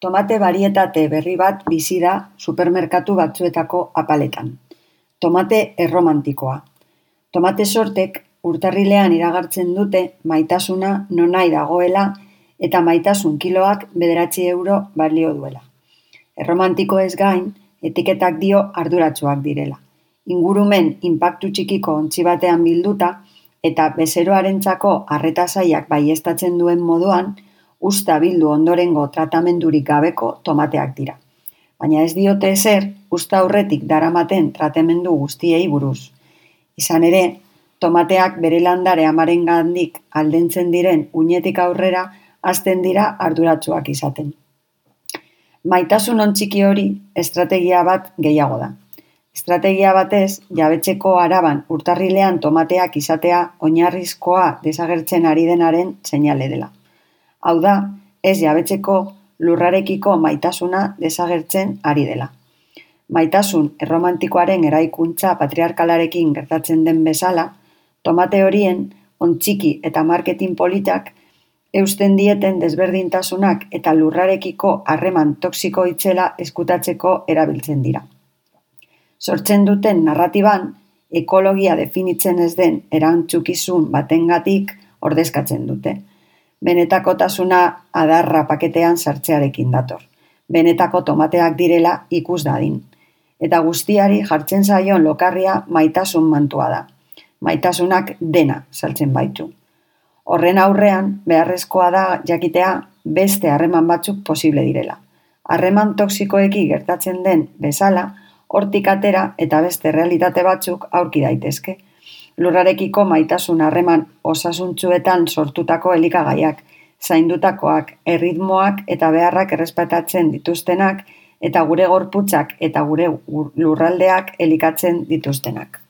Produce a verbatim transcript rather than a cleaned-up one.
Tomate barietate berri bat bizi da supermerkatu batzuetako apaletan. Tomate erromantikoa. Tomate sortek urtarrilean iragartzen dute maitasuna nonai dagoela eta maitasun kiloak bederatzi euro balio duela. Erromantiko ez gain, etiketak dio arduratsuak direla. Ingurumen inpaktu txikiko ontzi batean bilduta eta bezeroarentzako arreta zailak baieztatzen duen moduan, usta bildu ondorengo tratamendurik gabeko tomateak dira. Baina ez diote ezer, usta aurretik daramaten tratamendu guztiei buruz. Izan ere, tomateak bere landare amarengandik aldentzen diren uinetik aurrera hasten dira arduratsuak izaten. Maitasun ontziki hori estrategia bat gehiago da. Estrategia batez, jabetzeko araban urtarrilean tomateak izatea oinarrizkoa desagertzen ari denaren seinale dela. Hau da, ez jabetzeko lurrarekiko maitasuna desagertzen ari dela. Maitasun erromantikoaren eraikuntza patriarkalarekin gertatzen den bezala, tomate horien ontziki eta marketing politak eusten dieten desberdintasunak eta lurrarekiko harreman toxiko itzela eskutatzeko erabiltzen dira. Sortzen duten narratiban, ekologia definitzen ez den erantzukizun batengatik ordezkatzen dute. Benetakotasuna adarra paketean sartzearekin dator. Benetako tomateak direla ikus dadin. Eta guztiari jartzen zaion lokarria maitasun mantua da. Maitasunak dena saltzen baitu. Horren aurrean, beharrezkoa da jakitea beste harreman batzuk posible direla. Harreman toxikoeki gertatzen den bezala, hortik atera eta beste realitate batzuk aurki daitezke. Lurrarekiko maitasun harreman osasuntsuetan sortutako elikagaiak, zaindutakoak, erritmoak eta beharrak errespetatzen dituztenak eta gure gorputzak eta gure lurraldeak elikatzen dituztenak.